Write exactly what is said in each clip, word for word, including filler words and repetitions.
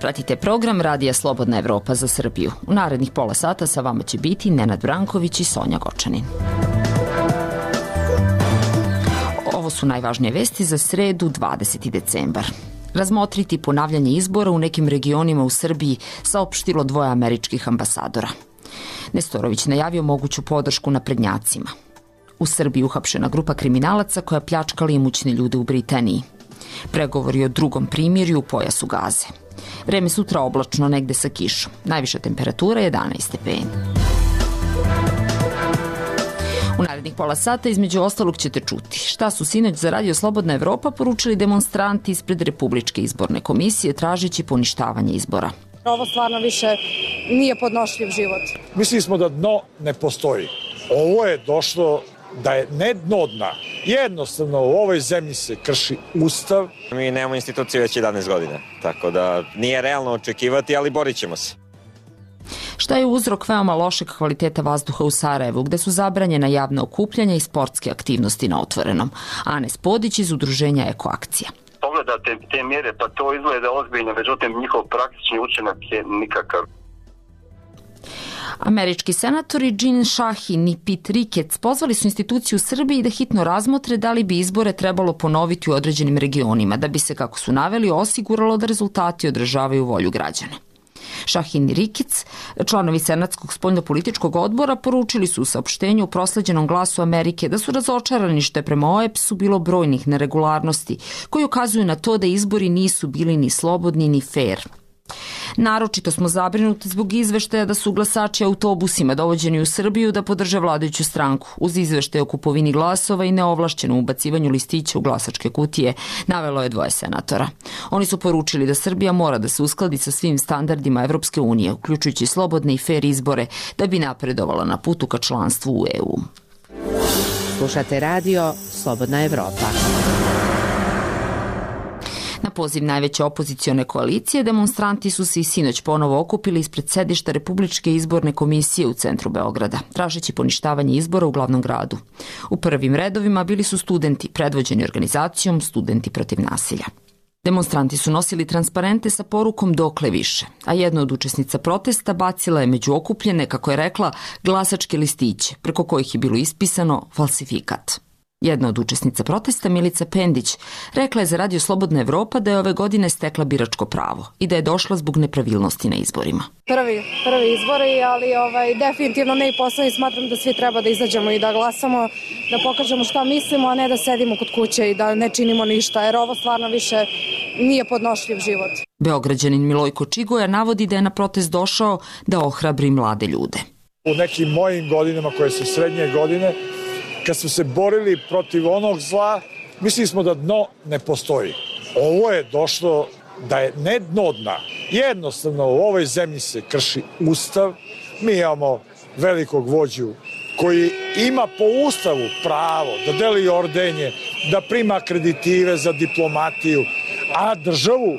Pratite program Radija Slobodna Evropa za Srbiju. U narednih pola sata sa vama će biti Nenad Branković i Sonja Gočanin. Ovo su najvažnije vesti za sredu dvadeseti decembar. Razmotriti ponavljanje izbora u nekim regionima u Srbiji saopštilo dvoje američkih ambasadora. Nestorović najavio moguću podršku naprednjacima. U Srbiji uhapšena grupa kriminalaca koja pljačkala imućne ljude u Britaniji. Pregovori o drugom primirju u pojasu Gaze. Vreme sutra oblačno, negde sa kišom. Najviša temperatura jedanaest stepeni. U narednih pola sata između ostalog ćete čuti šta su sinoć za Radio Slobodna Evropa poručili demonstranti ispred Republičke izborne komisije tražeći poništavanje izbora. Ovo stvarno više nije podnošljiv život. Mislili smo da dno ne postoji. Ovo je došlo da je ne dno dna. Jednostavno u ovoj zemlji se krši Ustav. Mi nemamo instituciju već jedanaest godina, tako da nije realno očekivati, ali borit ćemo se. Šta je uzrok veoma lošeg kvaliteta vazduha u Sarajevu, gde su zabranjena javna okupljanja i sportske aktivnosti na otvorenom? Anes Podić iz udruženja Ekoakcija. Pogledate te mjere, pa to izgleda ozbiljno, međutim njihov praktični učinak je nikakav. Američki senatori Jean Shaheen i Pete Ricketts pozvali su instituciju u Srbiji da hitno razmotre da li bi izbore trebalo ponoviti u određenim regionima, da bi se, kako su naveli, osiguralo da rezultati odražavaju volju građana. Shaheen i Ricketts, članovi Senatskog spoljnopolitičkog odbora, poručili su u saopštenju u prosleđenom Glasu Amerike da su razočarani što je prema O E P S-u bilo brojnih neregularnosti koji ukazuju na to da izbori nisu bili ni slobodni ni fair. Naročito smo zabrinuti zbog izveštaja da su glasači autobusima dovođeni u Srbiju da podrže vladajuću stranku, uz izveštaje o kupovini glasova i neovlašćenom ubacivanju listića u glasačke kutije, navelo je dvoje senatora. Oni su poručili da Srbija mora da se uskladi sa svim standardima Evropske unije, uključujući slobodne i fair izbore, da bi napredovala na putu ka članstvu u E U. Slušate radio Slobodna Evropa. Na poziv najveće opozicione koalicije, demonstranti su se i sinoć ponovo okupili ispred sedišta Republičke izborne komisije u centru Beograda, tražeći poništavanje izbora u glavnom gradu. U prvim redovima bili su studenti, predvođeni organizacijom Studenti protiv nasilja. Demonstranti su nosili transparente sa porukom dokle više, a jedna od učesnica protesta bacila je među okupljene, kako je rekla, glasačke listiće, preko kojih je bilo ispisano falsifikat. Jedna od učesnica protesta, Milica Pendić, rekla je za Radio Slobodna Evropa da je ove godine stekla biračko pravo i da je došla zbog nepravilnosti na izborima. Prvi, prvi izbori, ali ovaj, definitivno ne i poslednji. Smatram da svi treba da izađemo i da glasamo, da pokažemo šta mislimo, a ne da sedimo kod kuće i da ne činimo ništa, jer ovo stvarno više nije podnošljiv život. Beograđanin Milojko Čigoja navodi da je na protest došao da ohrabri mlade ljude. U nekim mojim godinama, koje su srednje godine, kad smo se borili protiv onog zla, mislili smo da dno ne postoji. Ovo je došlo da je ne dno dna. Jednostavno u ovoj zemlji se krši Ustav. Mi imamo velikog vođu koji ima po Ustavu pravo da deli ordenje, da prima akreditive za diplomatiju, a državu,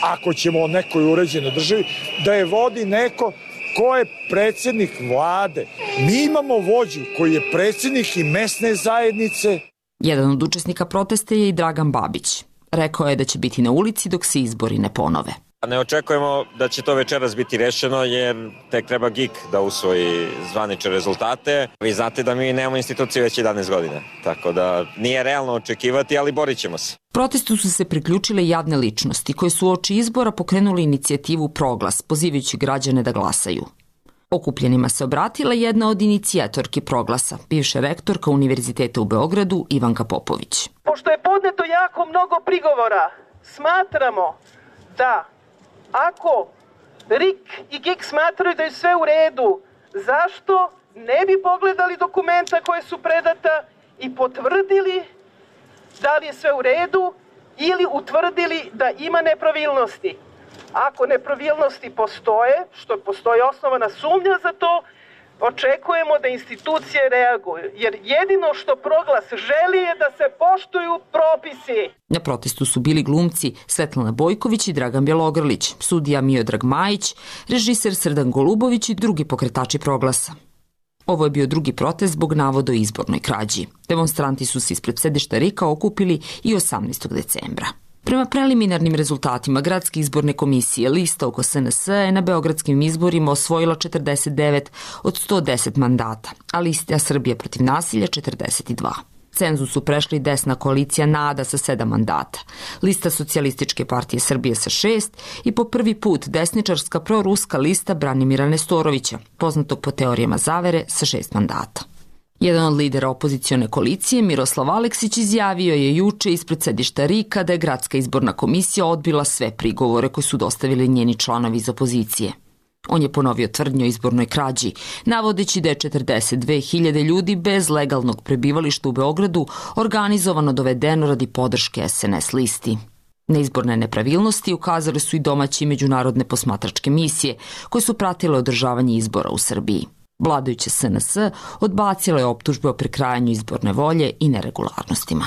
ako ćemo o nekoj uređenoj državi, da je vodi neko ko je predsjednik vlade. Mi imamo vođu koji je predsjednik i mesne zajednice. Jedan od učesnika protesta je i Dragan Babić. Rekao je da će biti na ulici dok se izbori ne ponove. Ne očekujemo da će to večeras biti rešeno jer tek treba G I K da usvoji zvanične rezultate. Vi znate da mi nemamo instituciju već jedanaest godina, tako da nije realno očekivati, ali borit ćemo se. Protestu su se priključile javne ličnosti koje su uoči izbora pokrenuli inicijativu Proglas, pozivajući građane da glasaju. Okupljenima se obratila jedna od inicijatorki Proglasa, bivša rektorka Univerziteta u Beogradu Ivanka Popović. Pošto je podneto jako mnogo prigovora, smatramo da ako R I K i G I K smatraju da je sve u redu, zašto ne bi pogledali dokumenta koje su predata i potvrdili da li je sve u redu ili utvrdili da ima nepravilnosti? Ako nepravilnosti postoje, što postoji osnovana sumnja za to, očekujemo da institucije reaguju, jer jedino što Proglas želi je da se poštuju propisi. Na protestu su bili glumci Svetlana Bojković i Dragan Bjelogrlić, sudija Miodrag Majić, režiser Srdan Golubović i drugi pokretači Proglasa. Ovo je bio drugi protest zbog navoda o izbornoj krađi. Demonstranti su se ispred sedišta R I K-a okupili i osamnaestog decembra. Prema preliminarnim rezultatima Gradske izborne komisije, lista oko S N S je na beogradskim izborima osvojila četrdeset devet od sto deset mandata, a lista Srbija protiv nasilja četrdeset dva. Cenzus su prešli desna koalicija NADA sa sedam mandata, lista Socijalističke partije Srbije sa šest i po prvi put desničarska proruska lista Branimira Nestorovića, poznatog po teorijama zavere, sa šest mandata. Jedan od lidera opozicione koalicije, Miroslav Aleksić, izjavio je juče ispred sedišta R I K-a da je Gradska izborna komisija odbila sve prigovore koje su dostavili njeni članovi iz opozicije. On je ponovio tvrdnju o izbornoj krađi, navodeći da je četrdeset dve hiljade ljudi bez legalnog prebivališta u Beogradu organizovano dovedeno radi podrške S N S listi. Na izborne nepravilnosti ukazali su i domaće i međunarodne posmatračke misije koje su pratile održavanje izbora u Srbiji. Vladajuće S N S odbacila je optužbe o prekrajanju izborne volje i neregularnostima.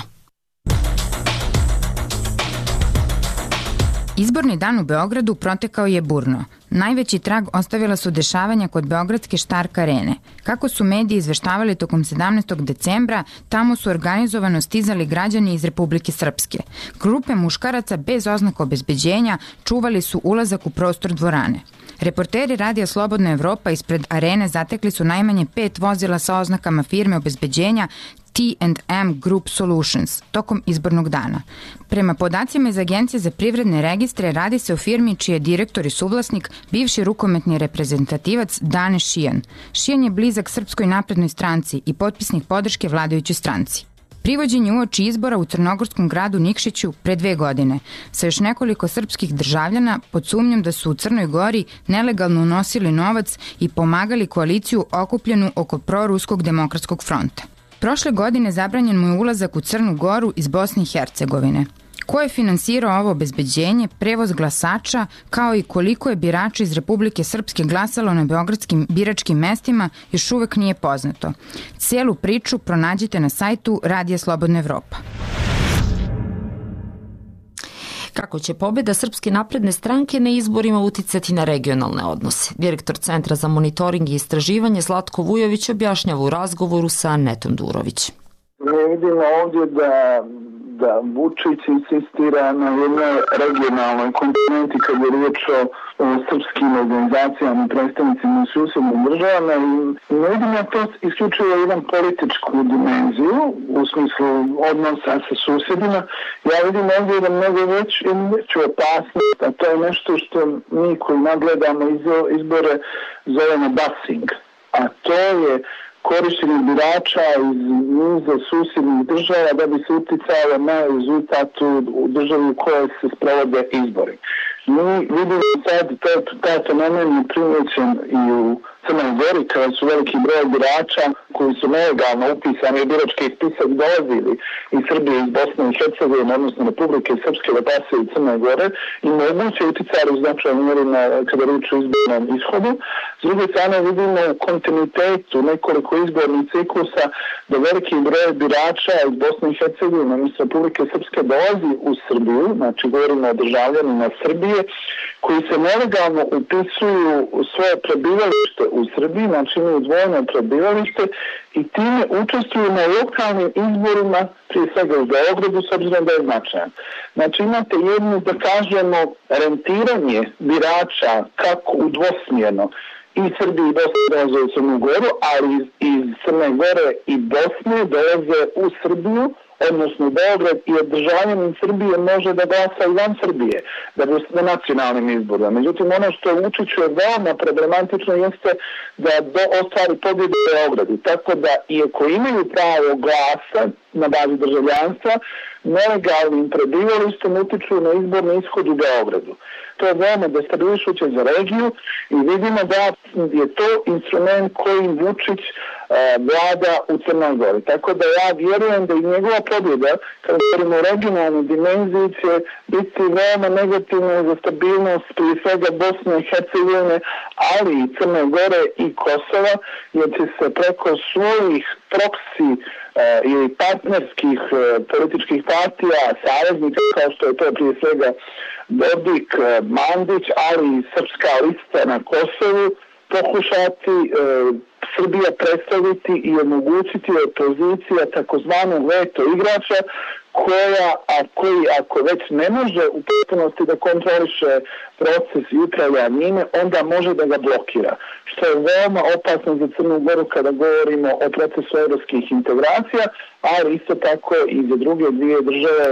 Izborni dan u Beogradu protekao je burno. Najveći trag ostavila su dešavanja kod beogradske Štark arene. Kako su mediji izveštavali tokom sedamnaestog decembra, tamo su organizovano stizali građani iz Republike Srpske. Grupe muškaraca bez oznaka obezbeđenja čuvali su ulazak u prostor dvorane. Reporteri Radija Slobodna Evropa ispred arene zatekli su najmanje pet vozila sa oznakama firme obezbeđenja T and M Group Solutions tokom izbornog dana. Prema podacima iz Agencije za privredne registre radi se o firmi čiji je direktor i suvlasnik bivši rukometni reprezentativac Dane Šijan. Šijan je blizak Srpskoj naprednoj stranci i potpisnik podrške vladajućoj stranci. Privođen je uoči izbora u crnogorskom gradu Nikšiću pre dve godine sa još nekoliko srpskih državljana pod sumnjom da su u Crnoj Gori nelegalno unosili novac i pomagali koaliciju okupljenu oko proruskog demokratskog fronta. Prošle godine zabranjen mu je ulazak u Crnu Goru iz Bosne i Hercegovine. Ko je finansirao ovo obezbeđenje, prevoz glasača, kao i koliko je birača iz Republike Srpske glasalo na beogradskim biračkim mestima, još uvek nije poznato. Celu priču pronađite na sajtu Radija Slobodna Evropa. Kako će pobjeda Srpske napredne stranke na izborima uticati na regionalne odnose? Direktor Centra za monitoring i istraživanje Zlatko Vujović objašnjava u razgovoru sa Netom Durović. Mi vidimo ovdje da da Vučić insistira na jednoj regionalnoj komponenti kad je riječ o, o srpskim organizacijama i predstavnicima u susjednim državama i ne vidim ja to isključivo jedan političku dimenziju u smislu odnosa sa susjedima. Ja vidim ovdje da mnogo već veću opasnost, a to je nešto što mi koji nadgledamo izbore zovemo busing, a to je korištenje birača iz niza susjednih država da bi se uticalo na rezultat u državi u kojoj se sprovode izbori. Mi vidimo sad taj fenomen je primjećen i u Crnoj Gori kada su veliki broj birača koji su nelegalno upisani u birački spisak dolazili iz Srbije, iz Bosne i Hercegovine, odnosno Republike Srpske da pasaju u Crnoj Gore i moguće uticali u značajnoj mjeri kada riječ o izbornom ishodu. S druge strane vidimo u kontinuitetu nekoliko izbornih ciklusa da veliki broj birača iz Bosne i Hercegovine, odnosno Republike Srpske dolazi u Srbiju, znači govorimo o državljanima Srbije, koji se nelegalno upisuju u svoje prebivalište u Srbiji, znači imaju dvojno prebivalište i time učestvuju na lokalnim izborima, prije svega u Beogradu, s obzirom da je značajan. Znači imate jedno, da kažemo, rentiranje birača kako u dvosmjerno i Srbiji i Bosne dolaze u Crnu Goru, ali iz Crne Gore i Bosne dolaze u Srbiju, odnosno Beograd, i državljanin Srbije može da glasa i van Srbije, da bi na nacionalnim izborima. Međutim, ono što Vučiću je veoma problematično jeste da do ostvari pobjedu u Beogradu. Tako da, iako imaju pravo glasa na bazi državljanstva, nelegalnim prebivalištem utiču na izborni ishod u Beogradu. To je veoma destabilišuće za regiju i vidimo da je to instrument kojim Vučić e, vlada u Crnoj Gori. Tako da ja vjerujem da i njegova pobjeda, kada govorimo o regionalnoj dimenziji, će biti veoma negativna za stabilnost prije svega Bosne i Hercegovine, ali i Crne Gore i Kosova, jer će se preko svojih proksi ili partnerskih političkih partija, saveznika, kao što je to prije svega Dodik, Mandić, ali i Srpska lista na Kosovu, pokušati e, Srbija predstaviti i omogućiti opozicija takozvanog veto igrača koja, a koji ako već ne može u potpunosti da kontroliše proces i upravlja njime, onda može da ga blokira. Što je veoma opasno za Crnu Goru kada govorimo o procesu evropskih integracija, ali isto tako i za druge dvije države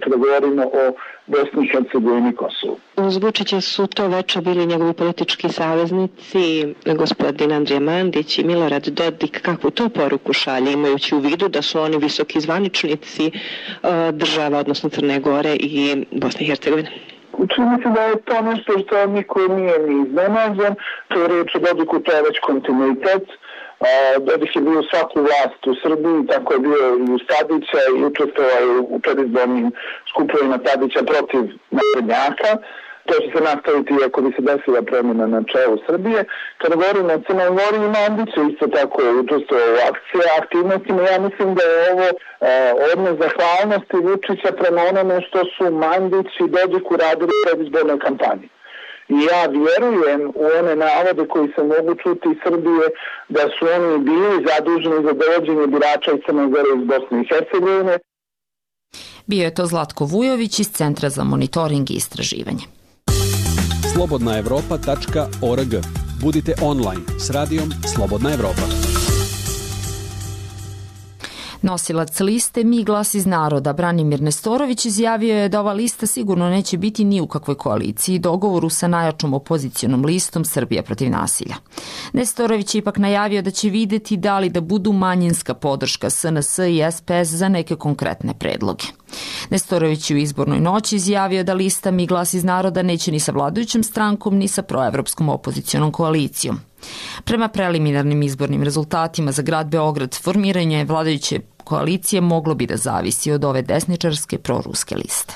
kada govorimo o Bosni i Hercegovini i Kosovu. Uz Vučića su to veče bili njegovi politički saveznici, gospodin Andrija Mandić i Milorad Dodik. Kakvu to poruku šalje, imajući u vidu da su oni visoki zvaničnici država, odnosno Crne Gore i Bosne i Hercegovine? Čini se da je to nešto što niko nije ni iznenađen. To je riječ o Dodiku, to je već kontinuitet. Dodik je bio svaku vlast u Srbiji, tako je bio i u Tadića i učestvovao u predizbornim skupovima Tadića protiv naprednjaka. To će se nastaviti ako bi se desila promjena na čelu Srbije. Kada govorimo o Crnoj Gori i Mandiću, isto tako je učestvovao u akcije, aktivnostima. Ja mislim da je ovo e, odnos zahvalnosti Vučića prema onome što su Mandić i Dodik uradili u predizbornoj kampanji. I ja vjerujem u one navode koji se mogu čuti iz Srbije da su oni bili zaduženi za dovođenje birača iz Crne Gore iz Bosne i Hercegovine. Bio je to Zlatko Vujović iz Centra za monitoring i istraživanje. slobodna evropa tačka org. Budite online s radijom Slobodna Evropa. Nosilac liste Mi glas iz naroda Branimir Nestorović izjavio je da ova lista sigurno neće biti ni u kakvoj koaliciji dogovoru sa najjačom opozicionom listom Srbija protiv nasilja. Nestorović je ipak najavio da će videti da li da budu manjinska podrška S N S i S P S za neke konkretne predloge. Nestorović je u izbornoj noći izjavio da lista Mi glas iz naroda neće ni sa vladajućom strankom ni sa proevropskom opozicionom koalicijom. Prema preliminarnim izbornim rezultatima za grad Beograd, formiranje vladajuće koalicije moglo bi da zavisi od ove desničarske proruske liste.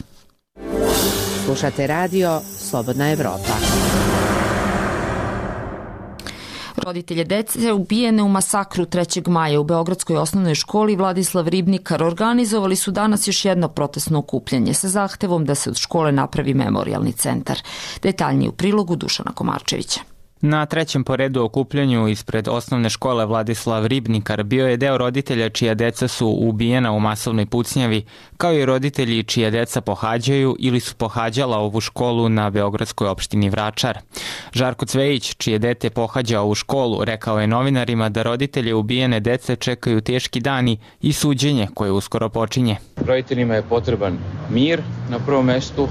Slušate radio Slobodna Evropa. Roditelje dece ubijene u masakru trećeg maja u Beogradskoj osnovnoj školi Vladislav Ribnikar organizovali su danas još jedno protestno okupljanje sa zahtevom da se od škole napravi memorijalni centar. Detaljnije u prilogu Dušana Komarčevića. Na trećem po redu okupljanju ispred osnovne škole Vladislav Ribnikar bio je deo roditelja čija deca su ubijena u masovnoj pucnjavi, kao i roditelji čija deca pohađaju ili su pohađala ovu školu na beogradskoj opštini Vračar. Žarko Cvejić, čije dete pohađa ovu školu, rekao je novinarima da roditelje ubijene dece čekaju teški dani i suđenje koje uskoro počinje. Roditeljima je potreban mir na prvom mestu,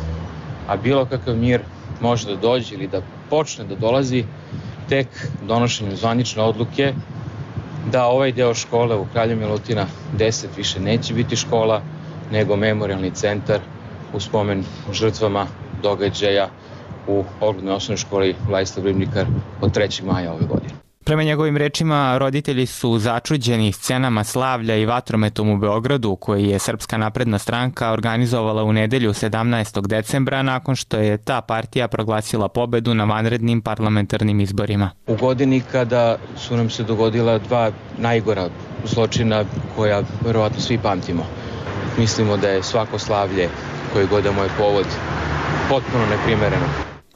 a bilo kakav mir može da dođe ili da počne da dolazi tek donošenjem zvanične odluke da ovaj deo škole u Kralja Milutina deset više neće biti škola, nego memorijalni centar u spomen žrtvama događaja u oglednoj osnovnoj školi Vladislav Ribnikar od trećeg maja ove godine. Prema njegovim rečima, roditelji su začuđeni scenama slavlja i vatrometom u Beogradu, koji je Srpska napredna stranka organizovala u nedelju sedamnaestog decembra nakon što je ta partija proglasila pobedu na vanrednim parlamentarnim izborima. U godini kada su nam se dogodila dva najgora zločina koja verovatno svi pamtimo. Mislimo da je svako slavlje koje god je moj povod potpuno neprimereno.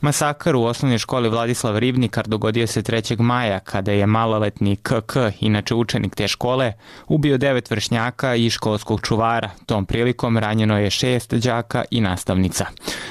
Masakar u osnovnoj školi Vladislav Ribnikar dogodio se trećeg maja kada je maloletni K K, inače učenik te škole, ubio devet vršnjaka i školskog čuvara. Tom prilikom ranjeno je šest đaka i nastavnica.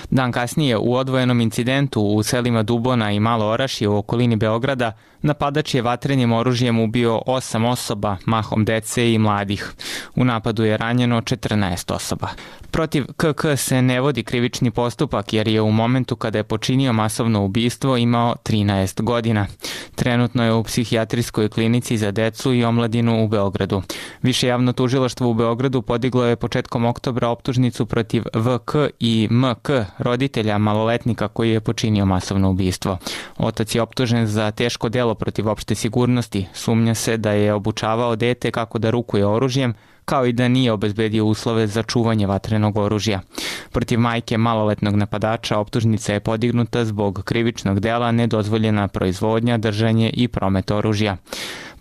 Dan kasnije u odvojenom incidentu u selima Dubona i Malo Orašje u okolini Beograda napadač je vatrenim oružjem ubio osam osoba, mahom dece i mladih. U napadu je ranjeno četrnaest osoba. Protiv K K se ne vodi krivični postupak jer je u momentu kada je počinio masovno ubistvo imao trinaest godina. Trenutno je u psihijatrijskoj klinici za decu i omladinu u Beogradu. Više javno tužilaštvo u Beogradu podiglo je početkom oktobra optužnicu protiv V K i M K, roditelja maloletnika koji je počinio masovno ubistvo. Otac je optužen za teško delo protiv opšte sigurnosti. Sumnja se da je obučavao dete kako da rukuje oružjem, kao i da nije obezbedio uslove za čuvanje vatrenog oružja. Protiv majke maloletnog napadača optužnica je podignuta zbog krivičnog dela nedozvoljena proizvodnja, držanje i promet oružja.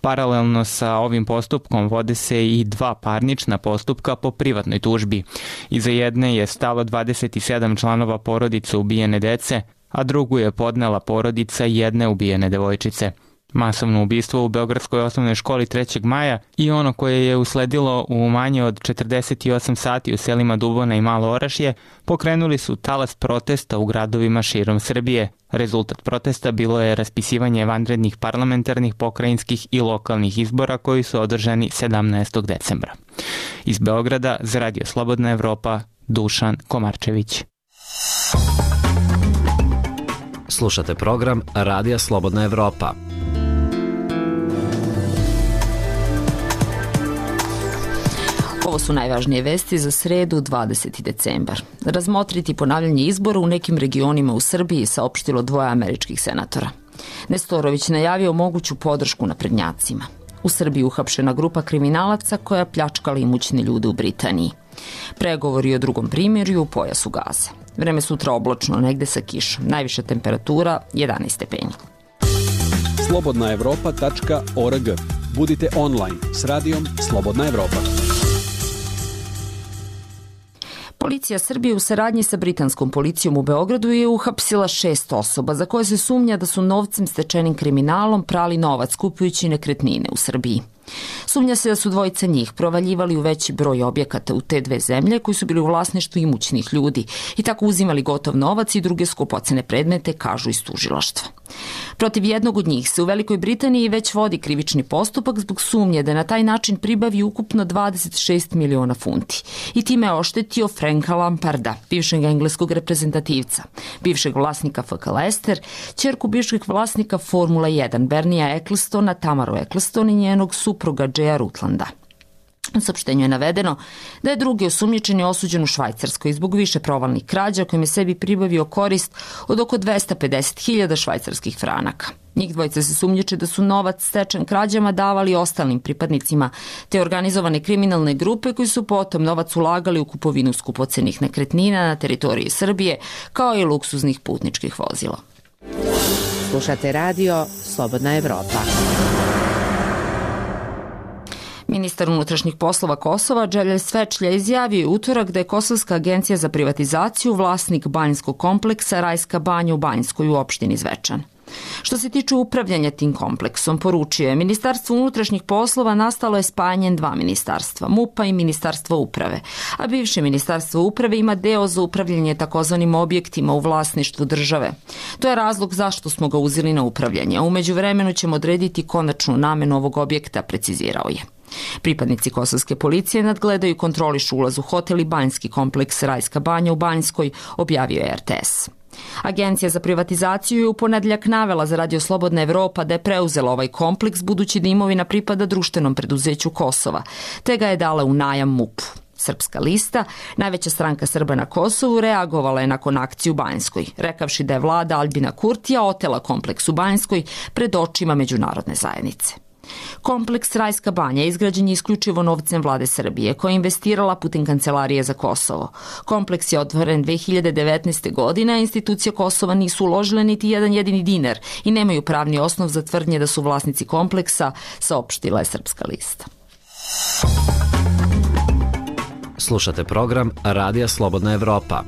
Paralelno sa ovim postupkom vode se i dva parnična postupka po privatnoj tužbi. Iza jedne je stalo dvadeset sedam članova porodice ubijene dece, a drugu je podnela porodica jedne ubijene devojčice. Masovno ubistvo u Beogradskoj osnovnoj školi trećeg maja i ono koje je usledilo u manje od četrdeset osam sati u selima Dubona i Malo Orašje pokrenuli su talas protesta u gradovima širom Srbije. Rezultat protesta bilo je raspisivanje vanrednih parlamentarnih, pokrajinskih i lokalnih izbora koji su održani sedamnaestog decembra. Iz Beograda za Radio Slobodna Evropa, Dušan Komarčević. Slušate program Radija Slobodna Evropa. Ovo su najvažnije vesti za sredu dvadeseti decembar. Razmotriti ponavljanje izbora u nekim regionima u Srbiji, saopštilo dvoje američkih senatora. Nestorović najavio moguću podršku naprednjacima. U Srbiji uhapšena grupa kriminalaca koja pljačkala imućne ljude u Britaniji. Pregovori o drugom primirju u pojasu Gaze. Vreme sutra oblačno, negde sa kišom. Najviša temperatura jedanaest stepeni. slobodna evropa tačka org. Budite online s radijom Slobodna Evropa. Policija Srbije u saradnji sa britanskom policijom u Beogradu je uhapsila šest osoba za koje se sumnja da su novcem stečenim kriminalom prali novac kupujući nekretnine u Srbiji. Sumnja se da su dvojica njih provaljivali u veći broj objekata u te dve zemlje koji su bili u vlasništvu imućnih ljudi i tako uzimali gotov novac i druge skupocene predmete, kažu iz tužilaštva. Protiv jednog od njih se u Velikoj Britaniji već vodi krivični postupak zbog sumnje da na taj način pribavi ukupno dvadeset šest miliona funti i time je oštetio Franka Lamparda, bivšeg engleskog reprezentativca, bivšeg vlasnika F K Leicester, ćerku bivšeg vlasnika Formule jedan Bernija Ecclestona, Tamaru Eccleston i njenog supruga Jaya Rutlanda. U saopštenju je navedeno da je drugi osumnjičeni osuđen u Švajcarskoj zbog više provalnih krađa kojim je sebi pribavio korist od oko dvesta pedeset hiljada švajcarskih franaka. Njih dvojica se sumnjiče da su novac stečen krađama davali ostalim pripadnicima te organizovane kriminalne grupe koji su potom novac ulagali u kupovinu skupocenih nekretnina na teritoriji Srbije kao i luksuznih putničkih vozila. Slušate radio Slobodna Evropa. Ministar unutrašnjih poslova Kosova Dželja Svečlja izjavio je utorak da je Kosovska agencija za privatizaciju vlasnik banjskog kompleksa Rajska banja u Banjskoj u opštini Zvečan. Što se tiče upravljanja tim kompleksom, poručio je Ministarstvo unutrašnjih poslova nastalo je spajanjem dva ministarstva, MUP-a i Ministarstva uprave, a bivše Ministarstvo uprave ima deo za upravljanje takozvanim objektima u vlasništvu države. To je razlog zašto smo ga uzeli na upravljanje, a umeđu vremenu ćemo odrediti konačnu namenu ovog objekta, precizirao je. Pripadnici kosovske policije nadgledaju i kontrolišu ulaz u hotel i banjski kompleks Rajska banja u Banjskoj, objavio je R T S. Agencija za privatizaciju je u ponedjeljak navela za Radio Slobodna Evropa da je preuzela ovaj kompleks budući da imovina pripada društvenom preduzeću Kosova, te ga je dala u najam MUP-u. Srpska lista, najveća stranka Srba na Kosovu, reagovala je nakon akcije u Banjskoj, rekavši da je vlada Albina Kurtija otela kompleks u Banjskoj pred očima međunarodne zajednice. Kompleks Rajska banja izgrađen je isključivo novcem vlade Srbije, koja je investirala putem Kancelarije za Kosovo. Kompleks je otvoren dve hiljade devetnaeste. godine, a institucije Kosova nisu uložile niti jedan jedini dinar i nemaju pravni osnov za tvrdnje da su vlasnici kompleksa, saopštila je Srpska lista. Slušate program Radija Slobodna Evropa.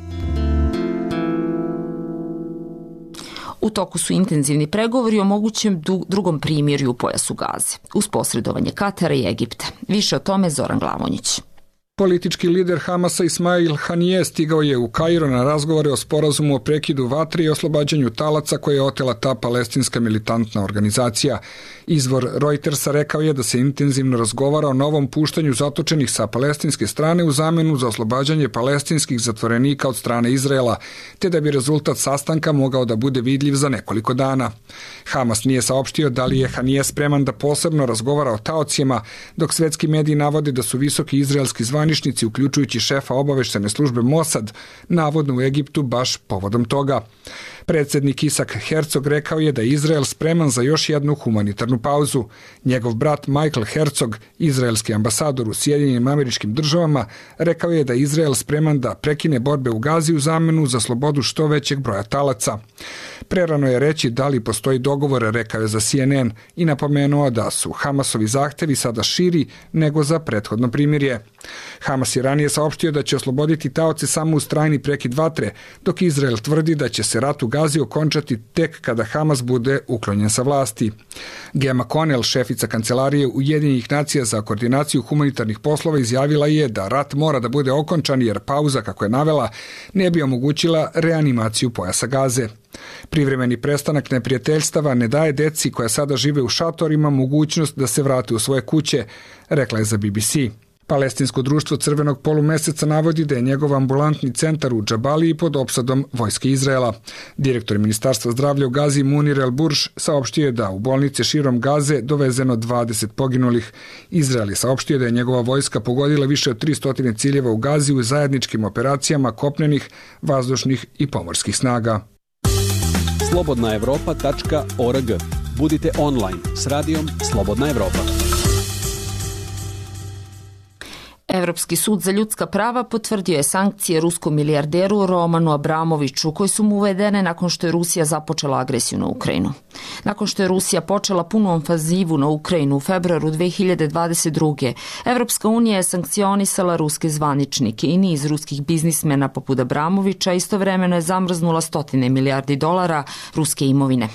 U toku su intenzivni pregovori o mogućem drugom primirju u pojasu Gaze, uz posredovanje Katara i Egipta. Više o tome Zoran Glavonjić. Politički lider Hamasa Ismail Hanije stigao je u Kairo na razgovore o sporazumu o prekidu vatre i oslobađanju talaca koje je otela ta palestinska militantna organizacija. Izvor Reutersa rekao je da se intenzivno razgovara o novom puštanju zatočenih sa palestinske strane u zamenu za oslobađanje palestinskih zatvorenika od strane Izraela, te da bi rezultat sastanka mogao da bude vidljiv za nekoliko dana. Hamas nije saopštio da li je Hanije spreman da posebno razgovara o taocima, dok svetski mediji navode da su visoki izraelski zvaničnici, uključujući šefa obaveštene službe Mossad, navodno u Egiptu baš povodom toga. Predsednik Isak Herzog rekao je da je Izrael spreman za još jednu humanitarnu pauzu. Njegov brat Michael Herzog, izraelski ambasador u Sjedinjenim Američkim Državama, rekao je da je Izrael spreman da prekine borbe u Gazi u zamenu za slobodu što većeg broja talaca. Prerano je reći da li postoji dogovor, rekao je za C N N i napomenuo da su Hamasovi zahtevi sada širi nego za prethodno primirje. Hamas je ranije saopštio da će osloboditi taoce samo uz trajni prekid vatre, dok Izrael tvrdi da će se rat u Gazi okončati tek kada Hamas bude uklonjen sa vlasti. Gema Konel, šefica kancelarije Ujedinjenih nacija za koordinaciju humanitarnih poslova, izjavila je da rat mora da bude okončan jer pauza, kako je navela, ne bi omogućila reanimaciju pojasa Gaze. Privremeni prestanak neprijateljstava ne daje deci koja sada žive u šatorima mogućnost da se vrate u svoje kuće, rekla je za B B C. Palestinsko društvo Crvenog polumeseca navodi da je njegov ambulantni centar u Džabaliji pod opsadom vojske Izraela. Direktor Ministarstva zdravlja u Gazi Munir El Burš saopštio je da u bolnice širom Gaze dovezeno dvadeset poginulih. Izrael je saopštio da je njegova vojska pogodila više od tristo ciljeva u Gazi u zajedničkim operacijama kopnenih, vazdušnih i pomorskih snaga. slobodna evropa tačka org. Budite online s radijom Slobodna Evropa. Evropski sud za ljudska prava potvrdio je sankcije ruskom milijarderu Romanu Abramoviću koje su mu uvedene nakon što je Rusija započela agresiju na Ukrajinu. Nakon što je Rusija počela punu ofanzivu na Ukrajinu u februaru dve hiljade dvadeset druge. Evropska unija je sankcionisala ruske zvaničnike i niz ruskih biznismena poput Abramovića, istovremeno je zamrznula stotine milijardi dolara ruske imovine.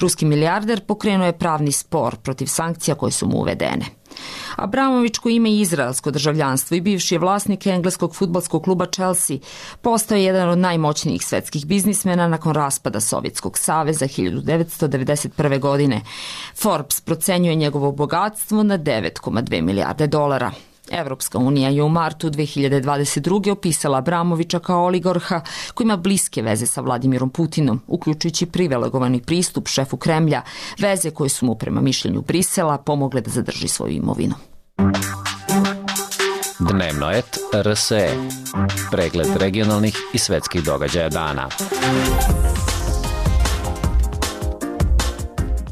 Ruski milijarder pokrenuo je pravni spor protiv sankcija koje su mu uvedene. Abramović, koji ima i izraelsko državljanstvo i bivši je vlasnik engleskog fudbalskog kluba Chelsea, postao je jedan od najmoćnijih svetskih biznismena nakon raspada Sovjetskog saveza hiljadu devetsto devedeset prve. godine. Forbes procenjuje njegovo bogatstvo na devet zarez dve milijarde dolara. Evropska unija je u martu dve hiljade dvadeset druge. opisala Abramovića kao oligarha koji ima bliske veze sa Vladimirom Putinom, uključujući privilegovani pristup šefu Kremlja, veze koje su mu prema mišljenju Brisela pomogle da zadrži svoju imovinu. Dnevnoet R S E. Pregled regionalnih i svetskih događaja dana.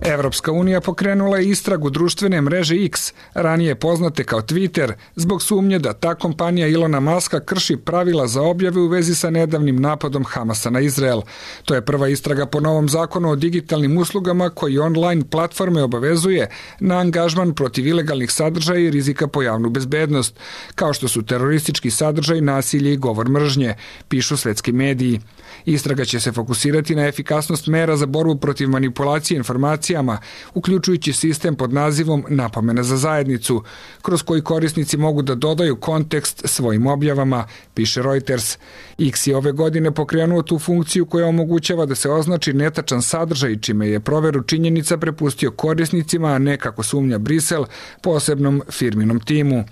Evropska unija pokrenula je istragu društvene mreže X, ranije poznate kao Twitter, zbog sumnje da ta kompanija Ilona Maska krši pravila za objave u vezi sa nedavnim napadom Hamasa na Izrael. To je prva istraga po novom zakonu o digitalnim uslugama koji online platforme obavezuje na angažman protiv ilegalnih sadržaja i rizika po javnu bezbednost, kao što su teroristički sadržaj, nasilje i govor mržnje, pišu svetski mediji. Istraga će se fokusirati na efikasnost mera za borbu protiv manipulacije informacijama, uključujući sistem pod nazivom Napomena za zajednicu, kroz koji korisnici mogu da dodaju kontekst svojim objavama, piše Reuters. X je ove godine pokrenuo tu funkciju koja omogućava da se označi netačan sadržaj, čime je proveru činjenica prepustio korisnicima, a ne, kako sumnja Brisel, posebnom firminom timu.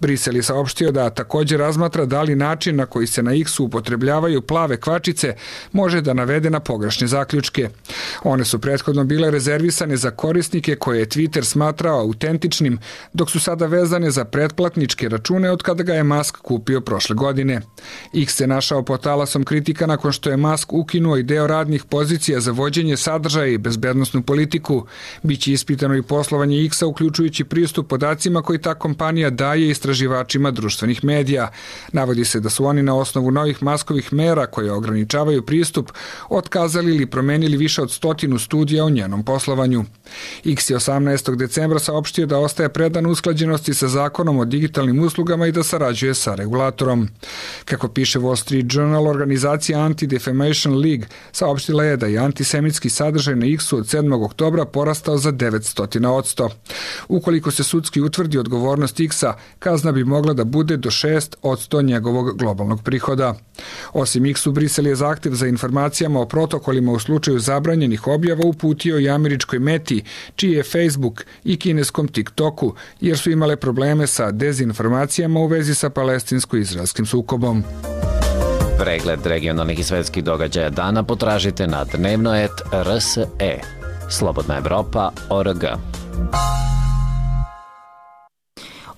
Brisel je saopštio da također razmatra da li način na koji se na X-u upotrebljavaju plave kvačice može da navede na pogrešne zaključke. One su prethodno bile rezervisane za korisnike koje je Twitter smatrao autentičnim, dok su sada vezane za pretplatničke račune od kada ga je Musk kupio prošle godine. X se našao pod talasom kritika nakon što je Musk ukinuo i deo radnih pozicija za vođenje sadržaja i bezbednosnu politiku. Biće ispitano i poslovanje X-a, uključujući pristup podacima koji ta kompanija daje istraživačima društvenih medija. Navodi se da su oni na osnovu novih Muskovih mera koje ograničavaju pristup otkazali ili promenili više od stotinu studija o njenom poslovanju. X je osamnaestog decembra saopštio da ostaje predan usklađenosti sa zakonom o digitalnim uslugama i da sarađuje sa regulatorom. Kako piše Wall Street Journal, organizacija Anti-Defamation League saopštila je da je antisemitski sadržaj na X-u od sedmog oktobra porastao za devetsto posto. Ukoliko se sudski utvrdi odgovornost X-a, kazna bi mogla da bude do šest posto njegovog globalnog prihoda. Osim X-u, Brisel je zahtev za informacijama o protokolima u slučaju zabranjenih objava uputio i američkoj Meti, čiji je Facebook, i kineskom TikToku, jer su imale probleme sa dezinformacijama u vezi sa palestinsko-izraelskim sukobom. Pregled regionalnih i svetskih događaja dana potražite na dnevnoet R S E. Slobodna Evropa org.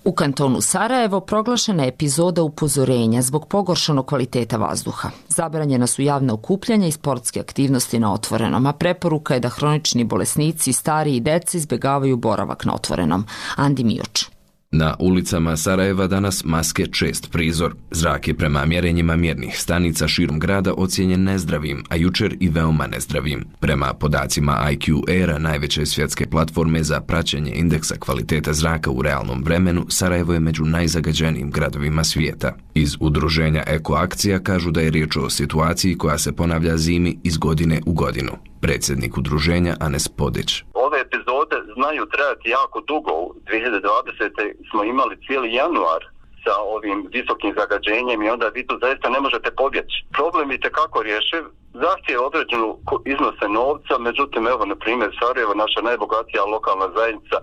U kantonu Sarajevo proglašena je epizoda upozorenja zbog pogoršanog kvaliteta vazduha. Zabranjena su javna okupljanja i sportske aktivnosti na otvorenom, a preporuka je da hronični bolesnici, stari i deca izbjegavaju boravak na otvorenom. Andi Mioč. Na ulicama Sarajeva danas maske čest prizor. Zrak je prema mjerenjima mjernih stanica širom grada ocijenjen nezdravim, a jučer i veoma nezdravim. Prema podacima I Q Aira, najveće svjetske platforme za praćenje indeksa kvalitete zraka u realnom vremenu, Sarajevo je među najzagađenijim gradovima svijeta. Iz udruženja Eko Akcija kažu da je riječ o situaciji koja se ponavlja zimi iz godine u godinu. Predsjednik udruženja Anes Podić. Ove epizode znaju trajati jako dugo. U dvije hiljade dvadesete. smo imali cijeli januar sa ovim visokim zagađenjem i onda vi tu zaista ne možete pobjeći. Problem je tekako rješiv, zahtije određenu iznose novca, međutim, evo, na primjer, Sarajevo, naša najbogatija lokalna zajednica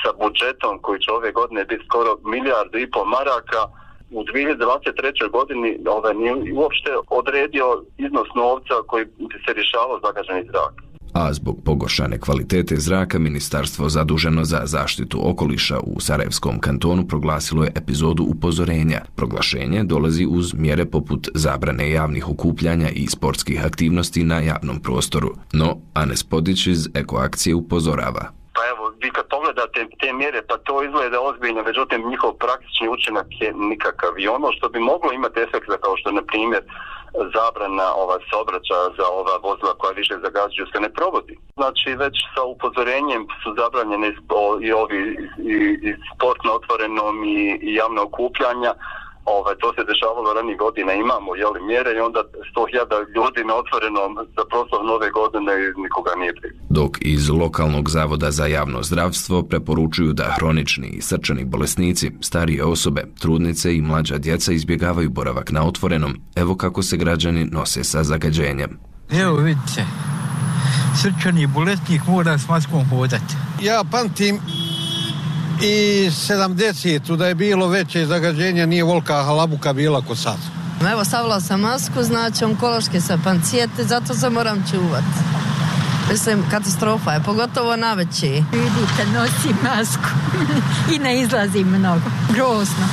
sa budžetom koji će ove godine biti skoro milijardu i pol maraka, u dvije hiljade dvadeset trećoj. godini ovaj, nije uopšte odredio iznos novca koji bi se rješavao zagađeni zrak. A zbog pogoršane kvalitete zraka, ministarstvo zaduženo za zaštitu okoliša u Sarajevskom kantonu proglasilo je epizodu upozorenja. Proglašenje dolazi uz mjere poput zabrane javnih okupljanja i sportskih aktivnosti na javnom prostoru. No, Anes Podić iz Eko Akcije upozorava. Pa evo, vi kad pogledate te mjere, pa to izgleda ozbiljno, međutim njihov praktični učinak je nikakav. I ono što bi moglo imati efekta, kao što na primjer zabrana ova saobraćaja za ova vozila koja više zagađuju, se ne provodi. Znači već sa upozorenjem su zabranjene i ovi i, i sport na otvorenom i, i javna okupljanja. Ovaj, to se dešavalo ranih godina, imamo jeli, mjere i onda sto hiljada ljudi na otvorenom za proslav nove godine i nikoga nije briga. Dok iz lokalnog zavoda za javno zdravstvo preporučuju da hronični i srčani bolesnici, starije osobe, trudnice i mlađa djeca izbjegavaju boravak na otvorenom, evo kako se građani nose sa zagađenjem. Evo vidite, srčani bolesnik mora s maskom hodati. Ja pamtim i sedamdesetu da je bilo veće zagađenje, nije volka halabuka bila ko sad. Evo, stavila sam masku, znači onkološke sa pancijete, zato se moram čuvati. Mislim, katastrofa je, pogotovo na veći. Vidite, nosim masku i ne izlazim mnogo. Grozno.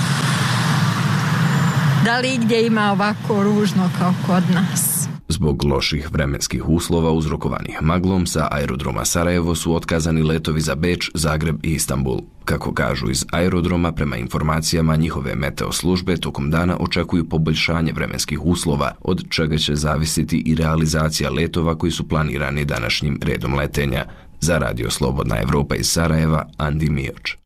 Da li gdje ima ovako ružno kao kod nas? Zbog loših vremenskih uslova uzrokovanih maglom sa aerodroma Sarajevo su otkazani letovi za Beč, Zagreb i Istanbul. Kako kažu iz aerodroma, prema informacijama njihove meteo službe, tokom dana očekuju poboljšanje vremenskih uslova, od čega će zavisiti i realizacija letova koji su planirani današnjim redom letenja. Za Radio Slobodna Evropa iz Sarajeva, Andi Mioč.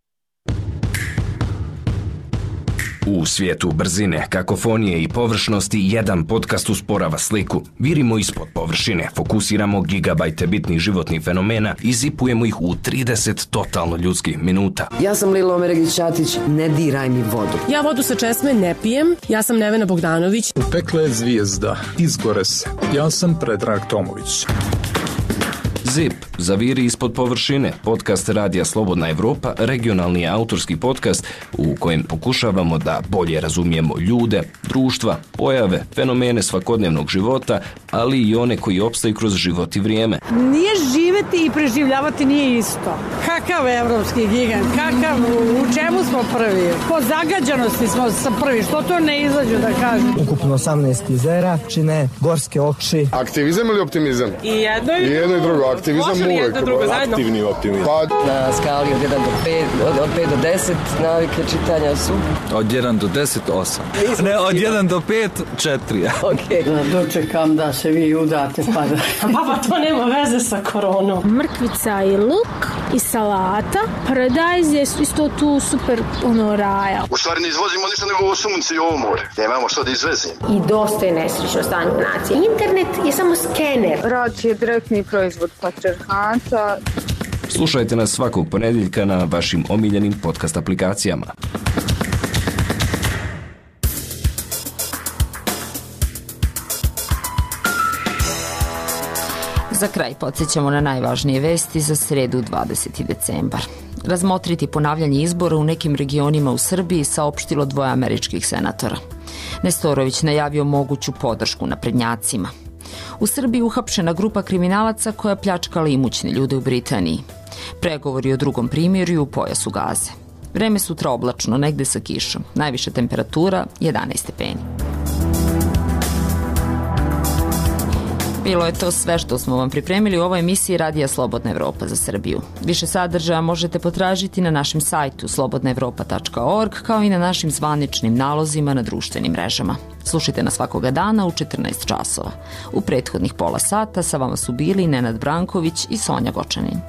U svijetu brzine, kakofonije i površnosti jedan podcast usporava sliku. Virimo ispod površine, fokusiramo gigabajte bitnih životnih fenomena i zipujemo ih u trideset totalno ljudskih minuta. Ja sam Lilo Omeregić-Ćatić, ne diraj mi vodu. Ja vodu sa česme ne pijem, ja sam Nevena Bogdanović. Upekla je zvijezda, izgore se. Ja sam Predrag Tomović. Zip, zaviri ispod površine, podcast Radija Slobodna Evropa, regionalni autorski podcast u kojem pokušavamo da bolje razumijemo ljude, društva, pojave, fenomene svakodnevnog života, ali i one koji opstaju kroz život i vrijeme. Nije živeti i preživljavati nije isto. Kakav evropski gigant, kakav, u čemu smo prvi? Po zagađanosti smo sa prvi, što to ne izađu da kažu? Ukupno osamnaest jezera, čine gorske oči. Aktivizam ili optimizam? I jedno i, I jedno i drugo. Aktivizam uvijek. Aktivni optimizam. Pa, na skali od jedan do pet, od, od pet do deset navike čitanja su? Od jedan do deset, osam. Ne, od jedan do pet, četiri. Ok. Da dočekam da se vi udate pa da... Papa, to nema veze sa koronom. Mrkvica i luk i salata. Paradajz je isto tu super ono raja. U stvari ne izvozimo ništa nego ovo sunce i ovo more. Ne imamo što da izvezimo. I dosta je nesrećno stanje nacije. Internet je samo skener. Rad je direktni proizvod patriarhata. Slušajte nas svakog ponedjeljka na vašim omiljenim podcast aplikacijama. Za kraj podsjećamo na najvažnije vesti za sredu dvadeseti decembar. Razmotriti ponavljanje izbora u nekim regionima u Srbiji saopštilo dvoje američkih senatora. Nestorović najavio moguću podršku naprednjacima. U Srbiji uhapšena grupa kriminalaca koja pljačkala imućne ljude u Britaniji. Pregovori o drugom primirju u pojasu Gaze. Vreme sutra oblačno, negde sa kišom. Najviša temperatura jedanaest stepeni. Bilo je to sve što smo vam pripremili u ovoj emisiji Radija Slobodna Evropa za Srbiju. Više sadržaja možete potražiti na našem sajtu slobodna evropa tačka org kao i na našim zvaničnim nalozima na društvenim mrežama. Slušajte nas svakoga dana u četrnaest časova. U prethodnih pola sata sa vama su bili Nenad Branković i Sonja Gočanin.